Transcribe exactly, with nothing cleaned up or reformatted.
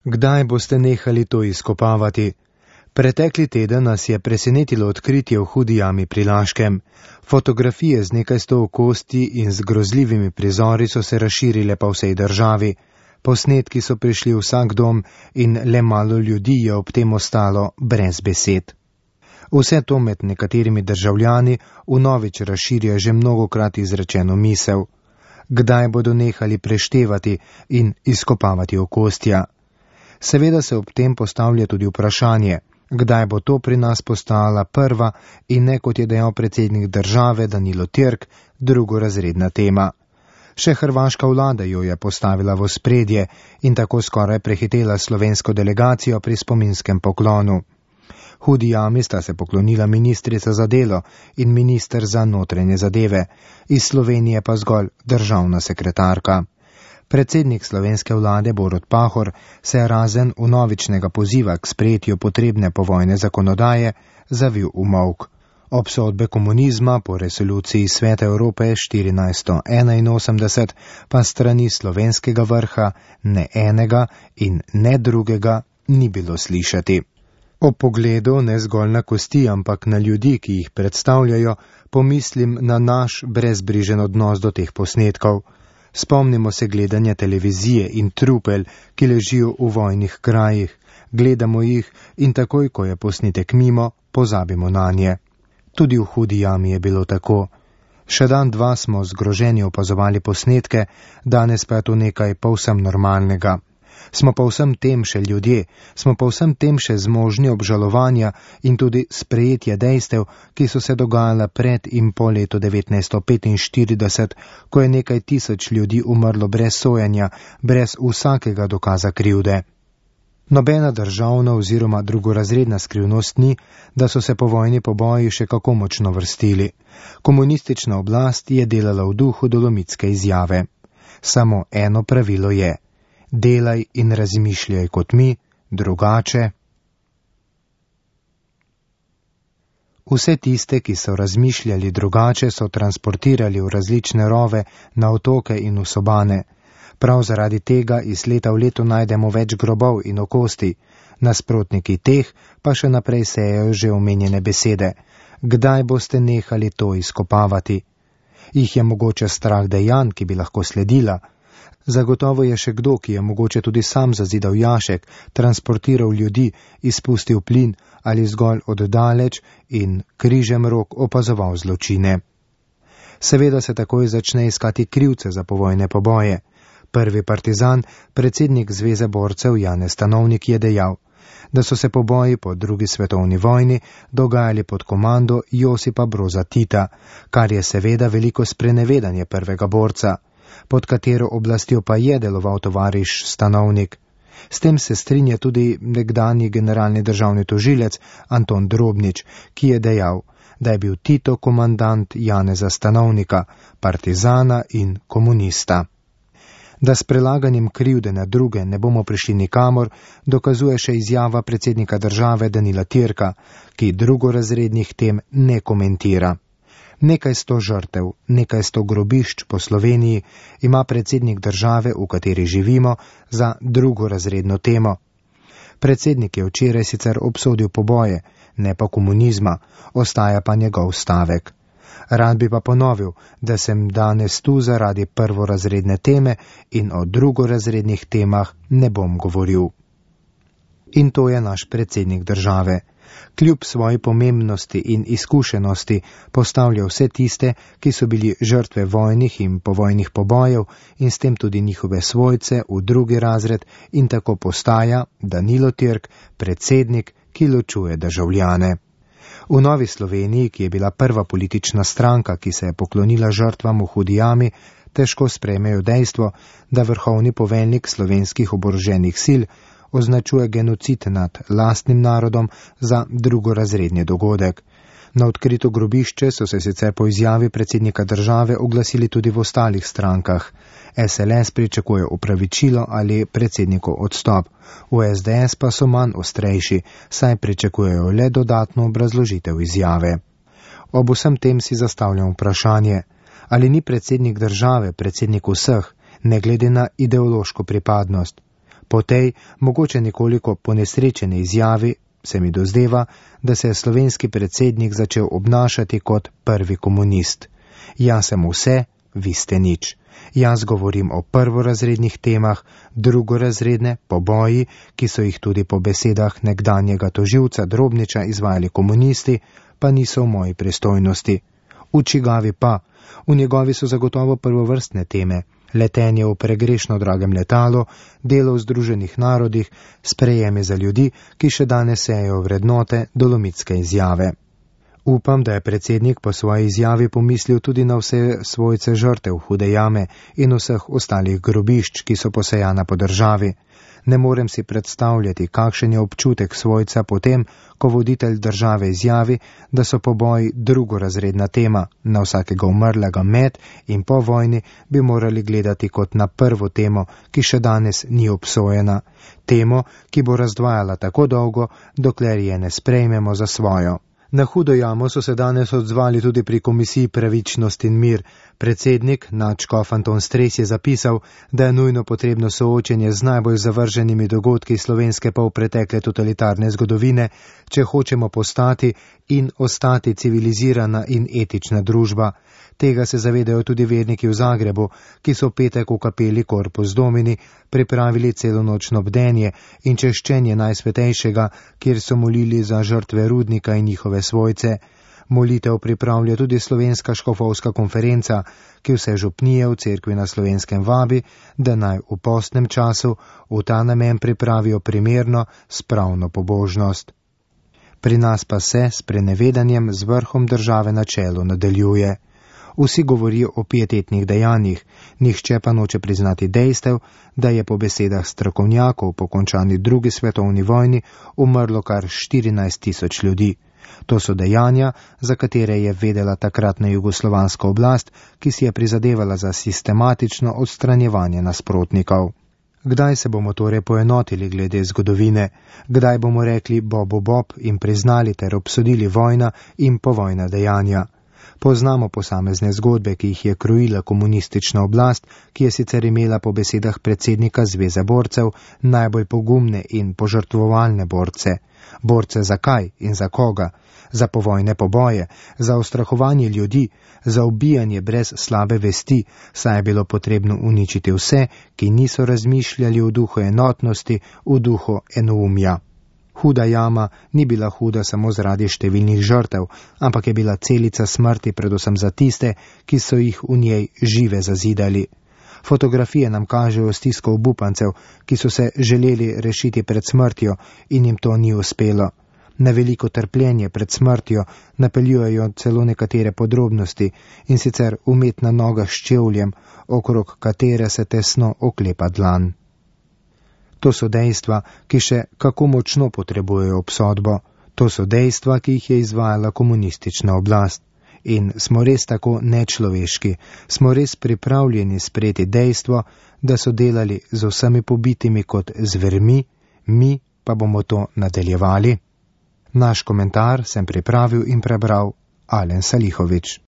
Kdaj boste nehali to izkopavati? Pretekli teden nas je presenetilo odkritje v Hudi jami pri Laškem. Fotografije z nekaj sto kosti in z grozljivimi prizori so se razširile po vsej državi. Posnetki so prišli v vsak dom in le malo ljudi je ob tem ostalo brez besed. Vse to med nekaterimi državljani vnovič razširja že mnogokrat izrečeno misel. Kdaj bodo nehali preštevati in izkopavati okostja? Seveda se ob tem postavlja tudi vprašanje, kdaj bo to pri nas postala prva in ne, kot je dejal predsednik države Danilo Türk, drugorazredna tema. Še hrvaška vlada jo je postavila v ospredje in tako skoraj prehitela slovensko delegacijo pri spominskem poklonu. Hudi jami sta se poklonila ministrica za delo in minister za notranje zadeve, iz Slovenije pa zgolj državna sekretarka. Predsednik slovenske vlade Borut Pahor se je razen vnovičnega poziva k sprejetju potrebne povojne zakonodaje zavil v molk. Obsodbe komunizma po resoluciji Sveta Evrope štirinajststo enainosemdeset pa strani slovenskega vrha ne enega in ne drugega ni bilo slišati. Ob pogledu ne zgolj na kosti, ampak na ljudi, ki jih predstavljajo, pomislim na naš brezbrižen odnos do teh posnetkov. Spomnimo se gledanja televizije in trupel, ki ležijo v vojnih krajih. Gledamo jih in takoj, ko je posnetek mimo, pozabimo nanje. Tudi v Hudi jami je bilo tako. Še dan dva smo zgroženi opazovali posnetke, danes pa je to nekaj povsem normalnega. Smo pa vsem tem še ljudje, smo pa vsem tem še zmožni obžalovanja in tudi sprejetje dejstev, ki so se dogajala pred in po letu devetnajststo petinštirideset, ko je nekaj tisoč ljudi umrlo brez sojenja, brez vsakega dokaza krivde. Nobena državna oziroma drugorazredna skrivnost ni, da so se po vojni poboji še kako močno vrstili. Komunistična oblast je delala v duhu dolomitske izjave. Samo eno pravilo je: delaj in razmišljaj kot mi, drugače. Vse tiste, ki so razmišljali drugače, so transportirali v različne rove, na otoke in v sobane. Prav zaradi tega iz leta v leto najdemo več grobov in okosti, nasprotniki teh pa še naprej sejejo že omenjene besede. Kdaj boste nehali to izkopavati? Jih je mogoče strah dejanj, ki bi lahko sledila? Zagotovo je še kdo, ki je mogoče tudi sam zazidal jašek, transportiral ljudi, izpustil plin ali zgolj oddaleč in križem rok opazoval zločine. Seveda se takoj začne iskati krivce za povojne poboje. Prvi partizan, predsednik Zveze borcev Janez Stanovnik, je dejal, da so se poboji po drugi svetovni vojni dogajali pod komando Josipa Broza Tita, kar je seveda veliko sprenevedanje prvega borca, pod katero oblastjo pa je deloval tovariš Stanovnik. S tem se strinja tudi nekdanji generalni državni tožilec Anton Drobnič, ki je dejal, da je bil Tito komandant Janeza Stanovnika, partizana in komunista. Da s prelaganjem krivde na druge ne bomo prišli nikamor, dokazuje še izjava predsednika države Danila Türka, ki drugorazrednih tem ne komentira. Nekaj sto žrtev, nekaj sto grobišč po Sloveniji ima predsednik države, v kateri živimo, za drugorazredno temo. Predsednik je včeraj sicer obsodil poboje, ne pa komunizma, ostaja pa njegov stavek. Rad bi pa ponovil, da sem danes tu zaradi prvorazredne teme in o drugorazrednih temah ne bom govoril. In to je naš predsednik države. Kljub svoji pomembnosti in izkušenosti postavlja vse tiste, ki so bili žrtve vojnih in povojnih pobojev in s tem tudi njihove svojce v drugi razred in tako postaja Danilo Türk, predsednik, ki ločuje državljane. V Novi Sloveniji, ki je bila prva politična stranka, ki se je poklonila žrtvam v Hudi jami, težko sprejmejo dejstvo, da vrhovni poveljnik slovenskih oboroženih sil označuje genocid nad lastnim narodom za drugorazredni dogodek. Na odkrito grobišče so se sicer po izjavi predsednika države oglasili tudi v ostalih strankah. S L S pričakuje opravičilo ali predsednikov odstop, v S D S pa so manj ostrejši, saj pričakujejo le dodatno obrazložitev izjave. Ob vsem tem si zastavljam vprašanje, ali ni predsednik države predsednik vseh, ne glede na ideološko pripadnost. Po tej, mogoče nekoliko ponesrečene izjavi, se mi dozdeva, da se je slovenski predsednik začel obnašati kot prvi komunist. Jaz sem vse, vi ste nič. Jaz govorim o prvorazrednih temah, drugorazredne, poboji, ki so jih tudi po besedah nekdanjega tožilca Drobniča izvajali komunisti, pa niso v moji pristojnosti. V čigavi pa, v njegovi so zagotovo prvovrstne teme, letenje v pregrešno dragem letalu, delo v Združenih narodih, sprejeme za ljudi, ki še danes sejejo vrednote dolomitske izjave. Upam, da je predsednik po svoji izjavi pomislil tudi na vse svojce žrtev Hude jame in vseh ostalih grobišč, ki so posejana po državi. Ne morem si predstavljati, kakšen je občutek svojca potem, ko voditelj države izjavi, da so poboji drugorazredna tema, na vsakega umrlega med in po vojni bi morali gledati kot na prvo temo, ki še danes ni obsojena, temo, ki bo razdvajala tako dolgo, dokler je ne sprejmemo za svojo. Na Hudo jamo so se danes odzvali tudi pri Komisiji Pravičnost in mir. Predsednik, nadškof Anton Stres, je zapisal, da je nujno potrebno soočenje z najbolj zavrženimi dogodki slovenske polpretekle totalitarne zgodovine, če hočemo postati in ostati civilizirana in etična družba. Tega se zavedajo tudi verniki v Zagrebu, ki so petek v kapeli Corpus Domini pripravili celonočno bdenje in češčenje Najsvetejšega, kjer so molili za žrtve Rudnika in njihove svojce. Molitev pripravlja tudi Slovenska škofovska konferenca, ki vse župnije v cerkvi na Slovenskem vabi, da naj v postnem času v ta namen pripravijo primerno, spravno pobožnost. Pri nas pa se s prenevedanjem z vrhom države na čelu nadaljuje. Vsi govorijo o pietetnih dejanjih, nihče pa noče priznati dejstev, da je po besedah strokovnjakov po končani drugi svetovni vojni umrlo kar štirinajst tisoč ljudi. To so dejanja, za katere je vedela takratna jugoslovanska oblast, ki si je prizadevala za sistematično odstranjevanje nasprotnikov. Kdaj se bomo torej poenotili glede zgodovine? Kdaj bomo rekli bobu bob in priznali ter obsodili vojna in povojna dejanja? Poznamo posamezne zgodbe, ki jih je krojila komunistična oblast, ki je sicer imela po besedah predsednika Zveze borcev najbolj pogumne in požrtvovalne borce. Borce za kaj in za koga? Za povojne poboje, za ustrahovanje ljudi, za ubijanje brez slabe vesti, saj je bilo potrebno uničiti vse, ki niso razmišljali v duhu enotnosti, v duhu enoumja. Huda jama ni bila huda samo zaradi številnih žrtev, ampak je bila celica smrti predvsem za tiste, ki so jih v njej žive zazidali. Fotografije nam kažejo stisko obupancev, ki so se želeli rešiti pred smrtjo in jim to ni uspelo. Na veliko trpljenje pred smrtjo napeljujejo celo nekatere podrobnosti, in sicer umetna noga s čevljem, okrog katere se tesno oklepa dlan. To so dejstva, ki še kako močno potrebujejo obsodbo. To so dejstva, ki jih je izvajala komunistična oblast. In smo res tako nečloveški, smo res pripravljeni sprejeti dejstvo, da so delali z vsemi pobitimi kot zvermi, mi pa bomo to nadaljevali. Naš komentar sem pripravil in prebral Alen Salihovič.